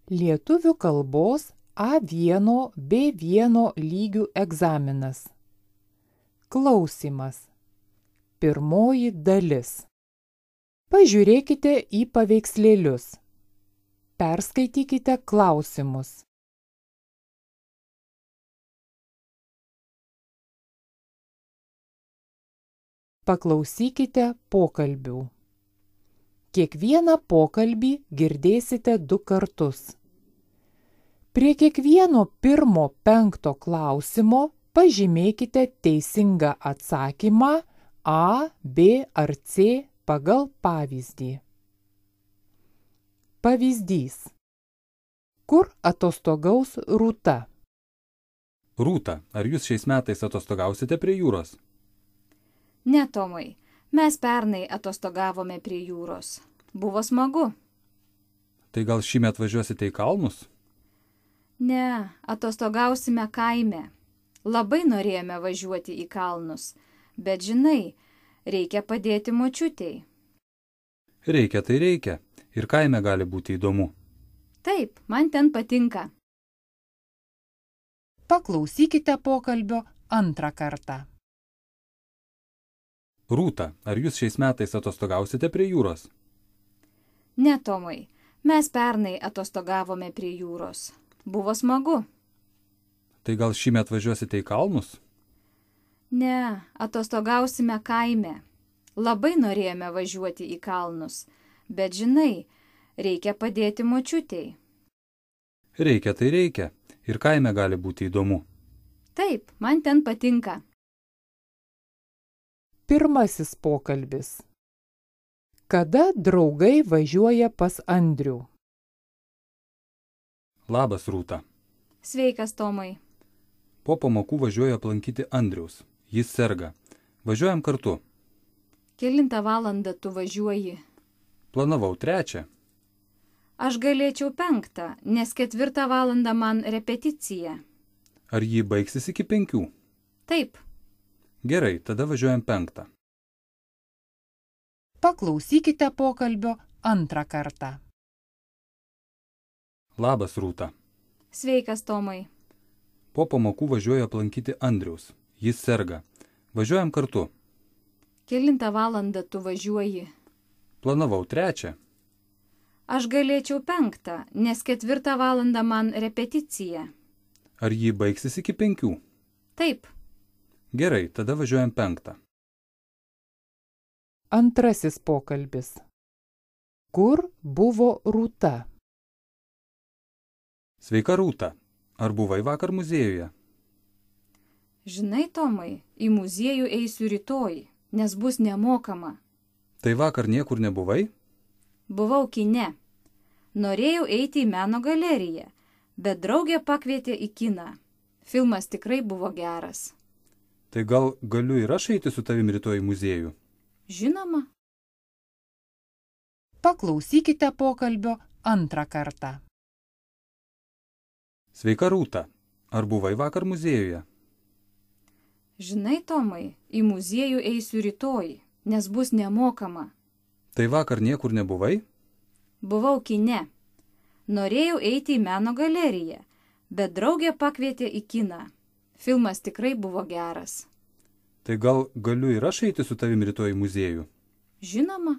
Lietuvių kalbos A1 B1 lygių egzaminas. Klausimas. Pirmoji dalis. Pažiūrėkite į paveikslėlius. Perskaitykite klausimus. Paklausykite pokalbių. Kiekvieną pokalbį girdėsite 2 kartus. Prie kiekvieno 1-5 klausimo pažymėkite teisingą atsakymą A, B ar C pagal pavyzdį. Pavyzdys. Kur atostogaus Rūta? Rūta, ar jūs šiais metais atostogausite prie jūros? Ne, Tomai, mes pernai atostogavome prie jūros. Buvo smagu. Tai gal šįmet važiuosite į kalnus? Ne, atostogausime kaime. Labai norėjome važiuoti į kalnus, bet žinai, reikia padėti močiutei. Reikia, tai reikia. Ir kaime gali būti įdomu. Taip, man ten patinka. Paklausykite pokalbio 2 kartą. Rūta, ar jūs šiais metais atostogausite prie jūros? Ne, Tomai, mes pernai atostogavome prie jūros. Buvo smagu. Tai gal šįmet važiuosite į kalnus? Ne, atostogausime kaime. Labai norėjome važiuoti į kalnus, bet žinai, reikia padėti močiutei. Reikia, tai reikia. Ir kaime gali būti įdomu. Taip, man ten patinka. Pirmasis pokalbis. Kada draugai važiuoja pas Andrių? Labas, Rūta. Sveikas, Tomai. Po pamokų važiuoju aplankyti Andriaus. Jis serga. Važiuojam kartu. Kelintą valandą tu važiuoji? Planavau 3. Aš galėčiau 5, nes 4 valandą man repeticija. Ar jį baigsis iki 5? Taip. Gerai, tada važiuojam 5. Paklausykite pokalbio 2 kartą. Labas, Rūta. Sveikas, Tomai. Po pamokų važiuoju aplankyti Andriaus. Jis serga. Važiuojam kartu. Kelintą valandą tu važiuoji? Planavau 3. Aš galėčiau 5, nes 4 valandą man repeticija. Ar jį baigsis iki 5? Taip. Gerai, tada važiuojam 5. Antrasis pokalbis. Kur buvo Rūta? Sveika, Rūta. Ar buvai vakar muziejuje? Žinai, Tomai, į muziejų eisiu rytoj, nes bus nemokama. Tai vakar niekur nebuvai? Buvau kine. Norėjau eiti į meno galeriją, bet draugė pakvietė į kiną. Filmas tikrai buvo geras. Tai gal galiu ir aš eiti su tavim rytoj į muziejų? Žinoma. Paklausykite pokalbio 2 kartą. Sveika, Rūta. Ar buvai vakar muziejuje? Žinai, Tomai, į muziejų eisiu rytoj, nes bus nemokama. Tai vakar niekur nebuvai? Buvau kine. Norėjau eiti į meno galeriją, bet draugė pakvietė į kiną. Filmas tikrai buvo geras. Tai gal galiu ir aš eiti su tavim rytoj į muziejų? Žinoma.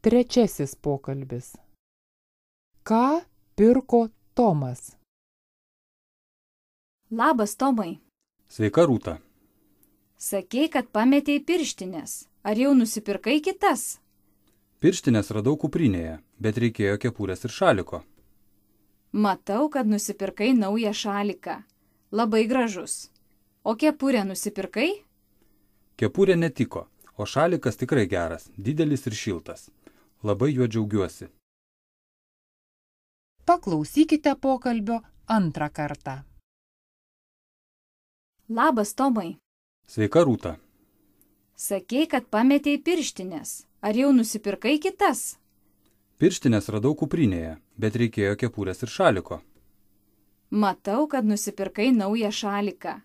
Trečiasis pokalbis. Ką pirko Tomas? Labas, Tomai. Sveika, Rūta. Sakei, kad pametei pirštinės. Ar jau nusipirkai kitas? Pirštinės radau kuprinėje, bet reikėjo kepurės ir šaliko. Matau, kad nusipirkai naują šaliką. Labai gražus. O kepurę nusipirkai? Kepurė netiko, o šalikas tikrai geras, didelis ir šiltas. Labai juo džiaugiuosi. Paklausykite pokalbio 2 kartą. Labas, Tomai. Sveika, Rūta. Sakei, kad pametei pirštinės. Ar jau nusipirkai kitas? Pirštinės radau kuprinėje, bet reikėjo kepurės ir šaliko. Matau, kad nusipirkai naują šaliką.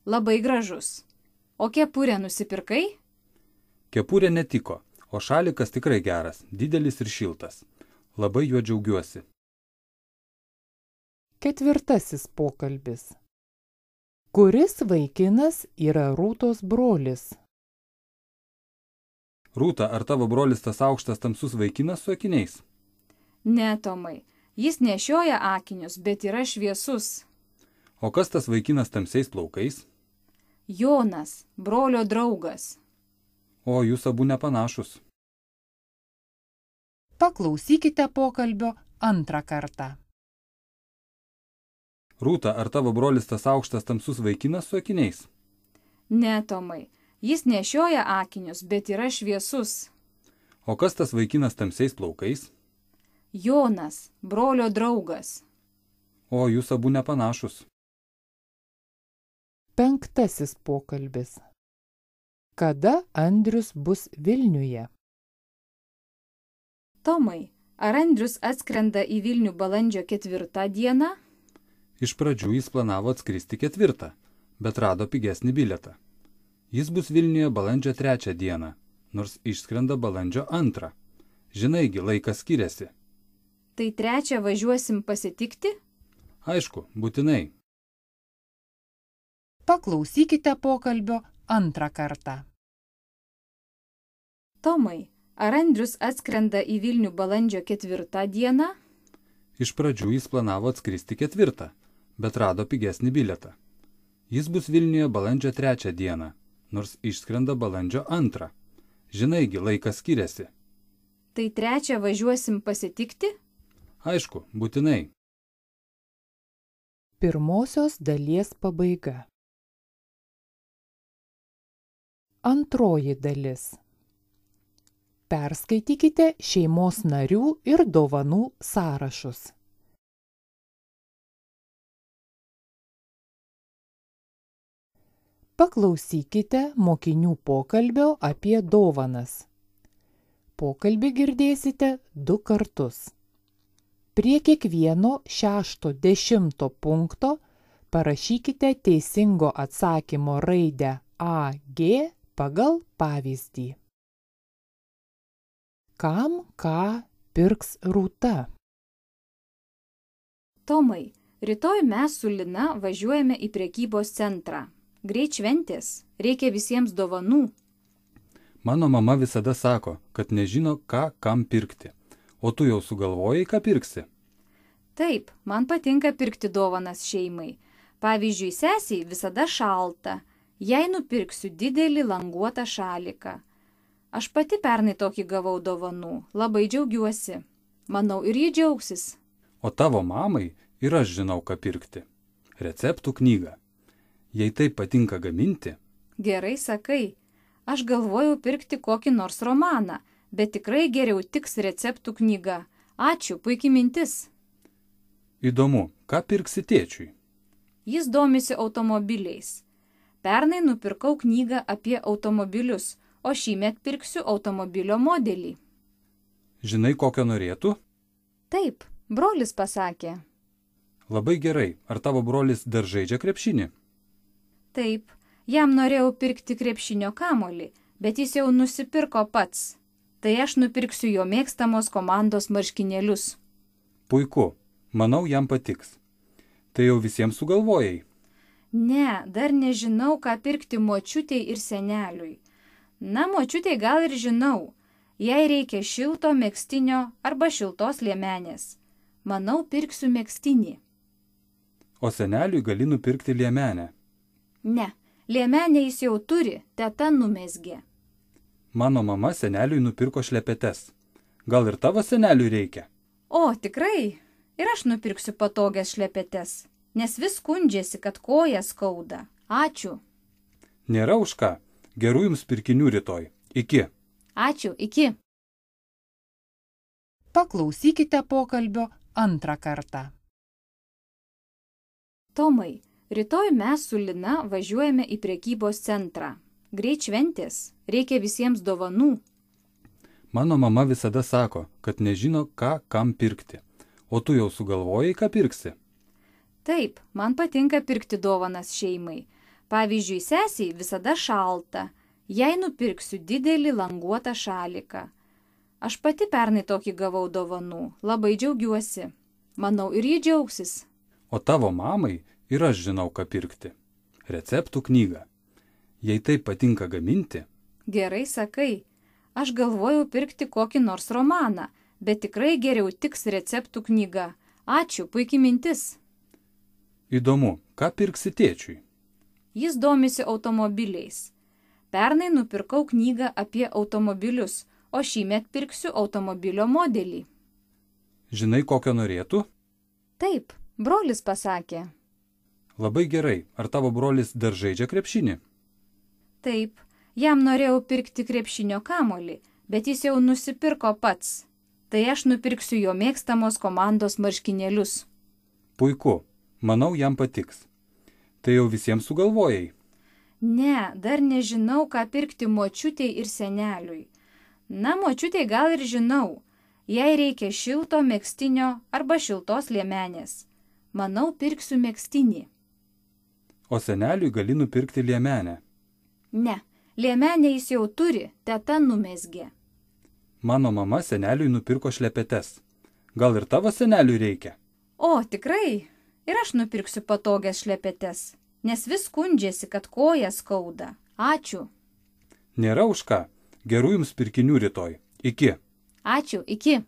Labai gražus. O kepurę nusipirkai? Kepurė netiko, o šalikas tikrai geras, didelis ir šiltas. Labai juo džiaugiuosi. Ketvirtasis pokalbis. Kuris vaikinas yra Rūtos brolis? Rūta, ar tavo brolis tas aukštas tamsus vaikinas su akiniais? Ne, Tomai, jis nešioja akinius, bet yra šviesus. O kas tas vaikinas tamsiais plaukais? Jonas, brolio draugas. O, jūs abu nepanašus. Paklausykite pokalbio antrą kartą. Rūta, ar tavo brolis tas aukštas tamsus vaikinas su akiniais? Ne, Tomai, jis nešioja akinius, bet yra šviesus. O kas tas vaikinas tamsiais plaukais? Jonas, brolio draugas. O, jūs abu nepanašus. Penktasis pokalbis. Kada Andrius bus Vilniuje? Tomai, ar Andrius atskrenda į Vilnių balandžio 4 dieną? Iš pradžių jis planavo atskristi 4, bet rado pigesnį bilietą. Jis bus Vilniuje balandžio 3 dieną, nors išskrenda balandžio 2. Žinaigi, laikas skiriasi. Tai 3 važiuosim pasitikti? Aišku, būtinai. Paklausykite pokalbio antrą kartą. Tomai, ar Andrius atskrenda į Vilnių balandžio 4 dieną? Iš pradžių jis planavo atskristi 4, bet rado pigesnį bilietą. Jis bus Vilniuje balandžio 3 dieną, nors išskrenda balandžio 2. Žinaigi, laikas skiriasi. Tai 3 važiuosim pasitikti? Aišku, būtinai. Pirmosios dalies pabaiga. Antroji dalis. Perskaitykite šeimos narių ir dovanų sąrašus. Paklausykite mokinių pokalbio apie dovanas. Pokalbį girdėsite 2 kartus. Prie kiekvieno 6-10 punkto parašykite teisingo atsakymo raidę AG pagal pavyzdį. Kam ką pirks Rūta? Tomai, rytoj mes su Lina važiuojame į prekybos centrą. Greit šventės, reikia visiems dovanų. Mano mama visada sako, kad nežino, ką kam pirkti. O tu jau sugalvojai, ką pirksi? Taip, man patinka pirkti dovanas šeimai. Pavyzdžiui, sesiai visada šalta. Jei nupirksiu didelį languotą šaliką. Aš pati pernai tokį gavau dovanų, labai džiaugiuosi. Manau, ir ji džiaugsis. O tavo mamai ir aš žinau, ką pirkti. Receptų knygą. Jei taip patinka gaminti. Gerai sakai. Aš galvojau pirkti kokį nors romaną, bet tikrai geriau tiks receptų knyga. Ačiū, puikiai mintis. Įdomu, ką pirksi tėčiui? Jis domisi automobiliais. Pernai nupirkau knygą apie automobilius, o šįmet pirksiu automobilio modelį. Žinai, kokio norėtų? Taip, brolis pasakė. Labai gerai. Ar tavo brolis dar žaidžia krepšinį? Taip, jam norėjau pirkti krepšinio kamuolį, bet jis jau nusipirko pats. Tai aš nupirksiu jo mėgstamos komandos marškinėlius. Puiku. Manau, jam patiks. Tai jau visiems sugalvojai? Ne, dar nežinau, ką pirkti močiutei ir seneliui. Na, močiutei gal ir žinau. Jei reikia šilto megztinio arba šiltos liemenės. Manau, pirksiu megztinį. O seneliui gali nupirkti liemenę. Ne, liemenę jis jau turi, teta numezgė. Mano mama seneliui nupirko šlepetes. Gal ir tavo seneliui reikia? O, tikrai? Ir aš nupirksiu patogias šlepetes, nes vis skundžiasi, kad koja skauda. Ačiū. Nėra už ką. Gerų jums pirkinių rytoj. Iki. Ačiū, iki. Paklausykite pokalbio antrą kartą. Tomai, rytoj mes su Lina važiuojame į prekybos centrą. Greit šventės, reikia visiems dovanų. Mano mama visada sako, kad nežino, ką kam pirkti. O tu jau sugalvojai, ką pirksi? Taip, man patinka pirkti dovanas šeimai. Pavyzdžiui, sesiai visada šalta. Jei nupirksiu didelį languotą šaliką. Aš pati pernai tokį gavau dovanų, labai džiaugiuosi. Manau, ir ji džiaugsis. O tavo mamai ir aš žinau, ką pirkti. Receptų knygą. Jei taip patinka gaminti. Gerai sakai. Aš galvojau pirkti kokį nors romaną, bet tikrai geriau tiks receptų knyga. Ačiū, puikiai mintis. Įdomu, ką pirksi tėčiui? Jis domisi automobiliais. Pernai nupirkau knygą apie automobilius, o šįmet pirksiu automobilio modelį. Žinai, kokio norėtų? Taip, brolis pasakė. Labai gerai. Ar tavo brolis dar žaidžia krepšinį? Taip, jam norėjau pirkti krepšinio kamuolį, bet jis jau nusipirko pats. Tai aš nupirksiu jo mėgstamos komandos marškinėlius. Puiku. Manau, jam patiks. Tai jau visiems sugalvojai? Ne, dar nežinau, ką pirkti močiutei ir seneliui. Na, močiutei gal ir žinau. Jai reikia šilto megztinio arba šiltos liemenės. Manau, pirksiu megztinį. O seneliui gali nupirkti liemenę. Ne, liemenę jis jau turi, teta numezgė. Mano mama seneliui nupirko šlepetes. Gal ir tavo seneliui reikia? O, tikrai? Ir aš nupirksiu patogias šlepetes, nes vis skundžiasi, kad koja skauda. Ačiū. Nėra už ką. Gerų jums pirkinių rytoj. Iki. Ačiū, iki.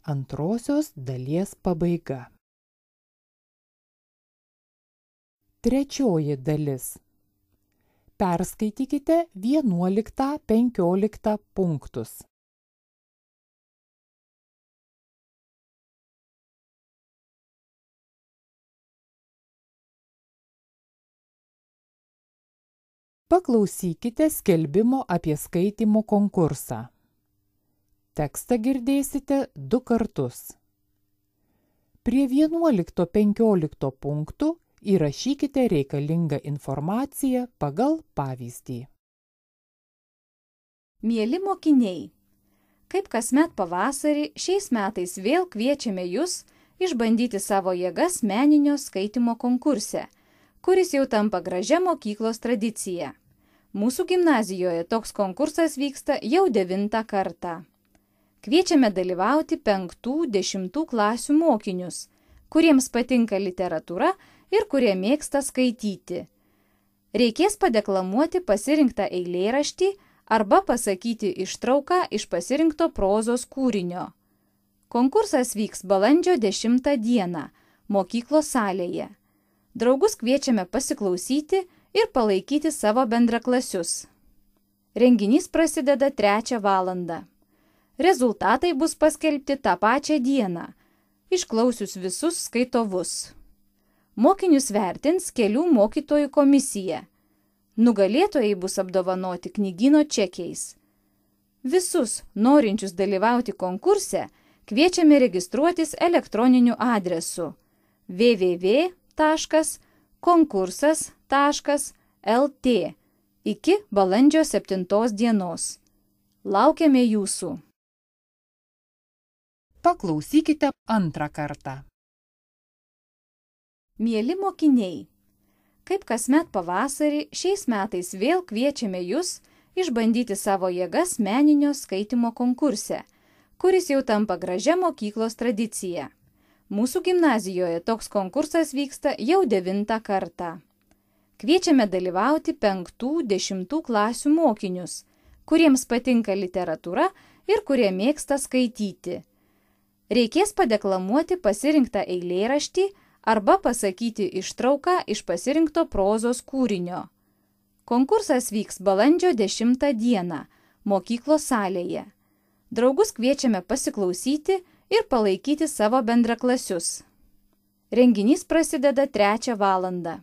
Antrosios dalies pabaiga. Trečioji dalis. Perskaitykite 11-15 punktus. Paklausykite skelbimo apie skaitymo konkursą. Tekstą girdėsite 2 kartus. Prie 11-15 punktų įrašykite reikalingą informaciją pagal pavyzdį. Mieli mokiniai, kaip kasmet pavasarį, šiais metais vėl kviečiame jūs išbandyti savo jėgas meninio skaitymo konkurse, kuris jau tampa gražia mokyklos tradicija. Mūsų gimnazijoje toks konkursas vyksta jau 9 kartą. Kviečiame dalyvauti 5-10 klasių mokinius, kuriems patinka literatūra ir kurie mėgsta skaityti. Reikės padeklamuoti pasirinktą eilėraštį arba pasakyti ištrauką iš pasirinkto prozos kūrinio. Konkursas vyks balandžio 10 dieną mokyklos salėje. Draugus kviečiame pasiklausyti ir palaikyti savo bendraklasius. Renginys prasideda 3 valandą. Rezultatai bus paskelbti tą pačią dieną, išklausius visus skaitovus. Mokinius vertins kelių mokytojų komisija. Nugalėtojai bus apdovanoti knygyno čekiais. Visus norinčius dalyvauti konkurse kviečiame registruotis elektroniniu adresu www.konkursas.lt iki balandžio 7 dienos. Laukiame jūsų. Paklausykite 2 kartą. Mieli mokiniai, kaip kasmet pavasarį, šiais metais vėl kviečiame jūs išbandyti savo jėgas meninio skaitymo konkurse, kuris jau tampa gražia mokyklos tradicija. Mūsų gimnazijoje toks konkursas vyksta jau 9 kartą. Kviečiame dalyvauti 5-10 klasių mokinius, kuriems patinka literatūra ir kurie mėgsta skaityti. Reikės padeklamuoti pasirinktą eilėraštį arba pasakyti ištrauką iš pasirinkto prozos kūrinio. Konkursas vyks balandžio 10 dieną mokyklos salėje. Draugus kviečiame pasiklausyti ir palaikyti savo bendraklasius. Renginys prasideda 3 valandą.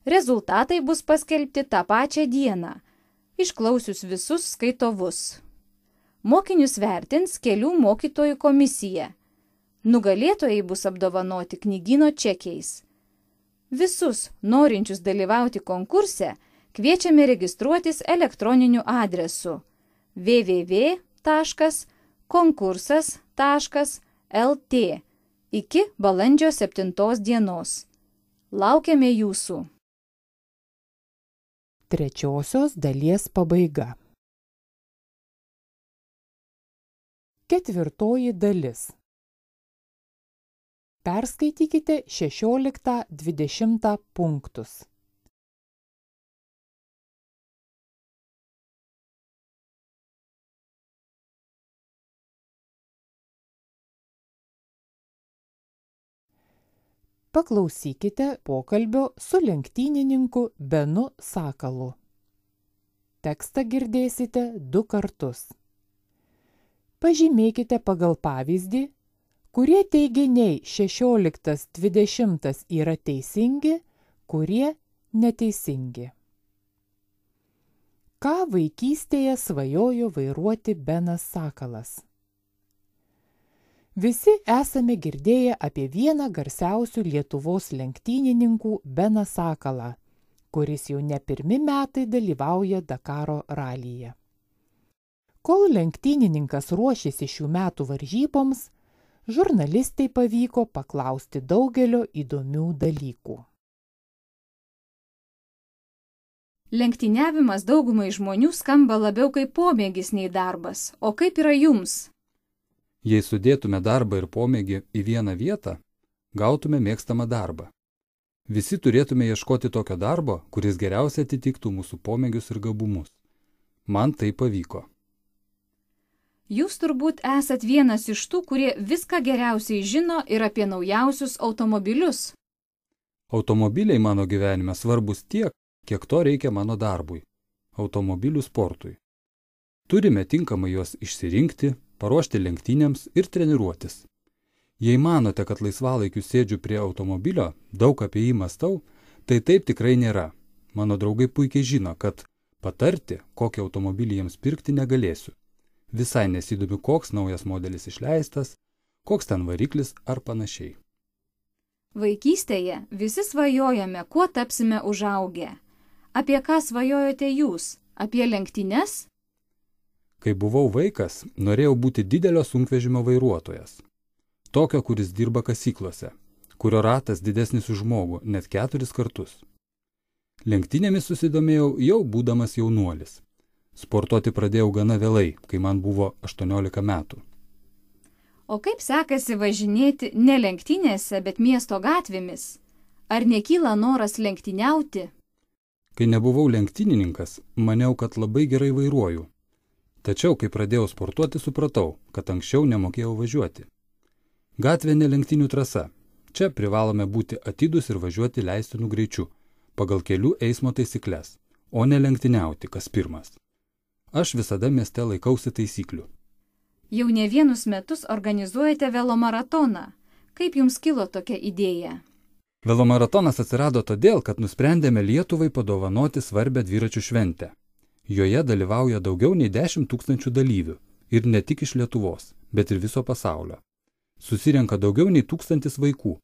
Rezultatai bus paskelbti tą pačią dieną, išklausius visus skaitovus. Mokinius vertins kelių mokytojų komisija. Nugalėtojai bus apdovanoti knygyno čekiais. Visus norinčius dalyvauti konkurse kviečiame registruotis elektroniniu adresu www.konkursas.lt iki balandžio 7 dienos. Laukiame jūsų. Trečiosios dalies pabaiga. 4 dalis. Perskaitykite 16-20 punktus. Paklausykite pokalbio su lenktynininku Benu Sakalu. Tekstą girdėsite 2 kartus. Pažymėkite pagal pavyzdį, kurie teiginiai 16-20 yra teisingi, kurie neteisingi. Ką vaikystėje svajojo vairuoti Benas Sakalas? Visi esame girdėję apie vieną garsiausių Lietuvos lenktynininkų Beną Sakalą, kuris jau ne 1 metai dalyvauja Dakaro ralyje. Kol lenktynininkas ruošėsi šių metų varžyboms, žurnalistai pavyko paklausti daugelio įdomių dalykų. Lenktyniavimas daugumai žmonių skamba labiau kaip pomėgis nei darbas. O kaip yra jums? Jei sudėtume darbą ir pomėgį į vieną vietą, gautume mėgstamą darbą. Visi turėtume ieškoti tokio darbo, kuris geriausiai atitiktų mūsų pomėgius ir gabumus. Man tai pavyko. Jūs turbūt esat vienas iš tų, kurie viską geriausiai žino ir apie naujausius automobilius. Automobiliai mano gyvenime svarbus tiek, kiek to reikia mano darbui – automobilių sportui. Turime tinkamai juos išsirinkti, paruošti lenktynėms ir treniruotis. Jei manote, kad laisvalaikiu sėdžiu prie automobilio, daug apie jį mąstau, tai taip tikrai nėra. Mano draugai puikiai žino, kad patarti, kokį automobilį jiems pirkti negalėsiu. Visai nesidomiu, koks naujas modelis išleistas, koks ten variklis ar panašiai. Vaikystėje visi svajojame, kuo tapsime užaugę. Apie ką svajojote jūs? Apie lenktynes? Kai buvau vaikas, norėjau būti didelio sunkvežimio vairuotojas. Tokio, kuris dirba kasyklose, kurio ratas didesnis už žmogų net 4 kartus. Lenktynėmis susidomėjau jau būdamas jaunuolis. Sportuoti pradėjau gana vėlai, kai man buvo 18 metų. O kaip sekasi važinėti ne lenktynėse, bet miesto gatvėmis? Ar nekyla noras lenktyniauti? Kai nebuvau lenktynininkas, maniau, kad labai gerai vairuoju. Tačiau, kai pradėjau sportuoti, supratau, kad anksčiau nemokėjau važiuoti. Gatvė ne lenktynių trasa. Čia privalome būti atidūs ir važiuoti leistinų greičiu, pagal kelių eismo taisykles, o ne lenktyniauti kas pirmas. Aš visada mieste laikausi taisyklių. Jau ne vienus metus organizuojate velomaratoną. Kaip jums kilo tokia idėja? Velomaratonas atsirado todėl, kad nusprendėme Lietuvai padovanoti svarbę dviračių šventę. Joje dalyvauja daugiau nei 10 000 dalyvių ir ne tik iš Lietuvos, bet ir viso pasaulio. Susirenka daugiau nei 1000 vaikų.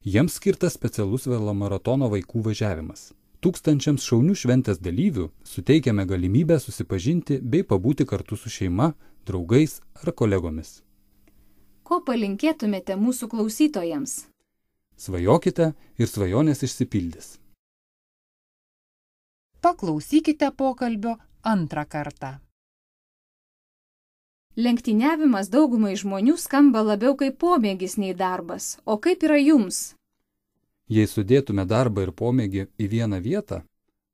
Jiems skirtas specialus velomaratono vaikų važiavimas. 1000 šaunių šventės dalyvių suteikiame galimybę susipažinti bei pabūti kartu su šeima, draugais ar kolegomis. Ko palinkėtumėte mūsų klausytojams? Svajokite ir svajonės išsipildys. Paklausykite pokalbio 2 kartą. Lenktyniavimas daugumai žmonių skamba labiau kaip pomėgis nei darbas. O kaip yra jums? Jei sudėtume darbą ir pomėgį į vieną vietą,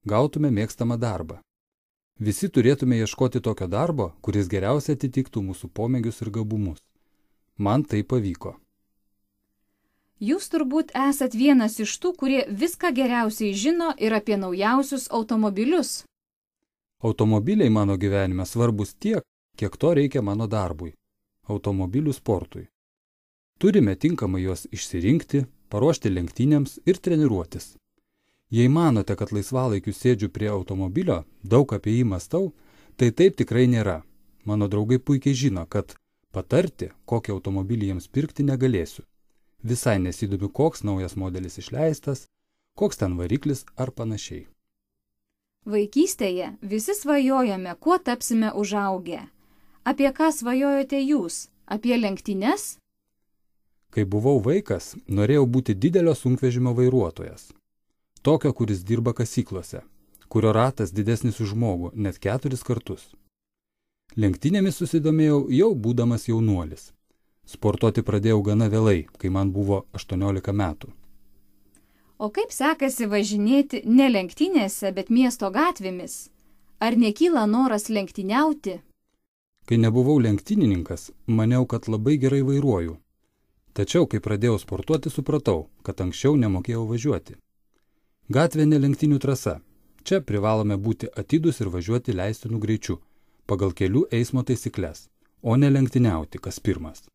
gautume mėgstamą darbą. Visi turėtume ieškoti tokio darbo, kuris geriausiai atitiktų mūsų pomėgius ir gabumus. Man tai pavyko. Jūs turbūt esat vienas iš tų, kurie viską geriausiai žino ir apie naujausius automobilius. Automobiliai mano gyvenime svarbus tiek, kiek to reikia mano darbui – automobilių sportui. Turime tinkamai juos išsirinkti, paruošti lenktynėms ir treniruotis. Jei manote, kad laisvalaikiu sėdžiu prie automobilio, daug apie jį mąstau, tai taip tikrai nėra. Mano draugai puikiai žino, kad patarti, kokį automobilį jiems pirkti negalėsiu. Visai nesidomiu, koks naujas modelis išleistas, koks ten variklis ar panašiai. Vaikystėje visi svajojame, kuo tapsime užaugę. Apie ką svajojote jūs? Apie lenktynes? Kai buvau vaikas, norėjau būti didelio sunkvežimio vairuotojas. Tokio, kuris dirba kasyklose, kurio ratas didesnis už žmogų net 4 kartus. Lenktynėmis susidomėjau jau būdamas jaunuolis. Sportuoti pradėjau gana vėlai, kai man buvo 18 metų. O kaip sekasi važinėti ne lenktynėse, bet miesto gatvėmis? Ar nekyla noras lenktyniauti? Kai nebuvau lenktynininkas, maniau, kad labai gerai vairuoju. Tačiau, kai pradėjau sportuoti, supratau, kad anksčiau nemokėjau važiuoti. Gatvė ne lenktynių trasa. Čia privalome būti atidūs ir važiuoti leistinų greičiu, pagal kelių eismo taisyklės, o ne lenktyniauti, kas pirmas.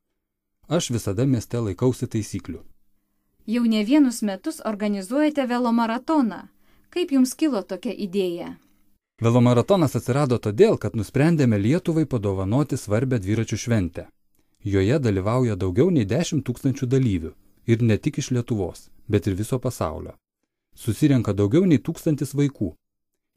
Aš visada mieste laikausi taisyklių. Jau ne vienus metus organizuojate velomaratoną. Kaip jums kilo tokia idėja? Velomaratonas atsirado todėl, kad nusprendėme Lietuvai padovanoti svarbę dviračių šventę. Joje dalyvauja daugiau nei 10 000 dalyvių ir ne tik iš Lietuvos, bet ir viso pasaulio. Susirenka daugiau nei 1000 vaikų.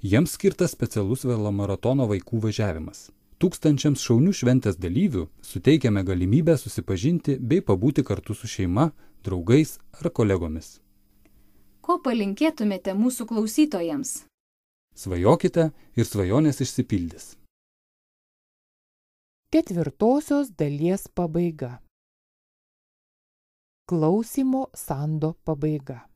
Jiems skirtas specialus velomaratono vaikų važiavimas. 1000 šaunių šventės dalyvių suteikiame galimybę susipažinti bei pabūti kartu su šeima, draugais ar kolegomis. Ko palinkėtumėte mūsų klausytojams? Svajokite ir svajonės išsipildys. 4 dalies pabaiga. Klausymo sando pabaiga.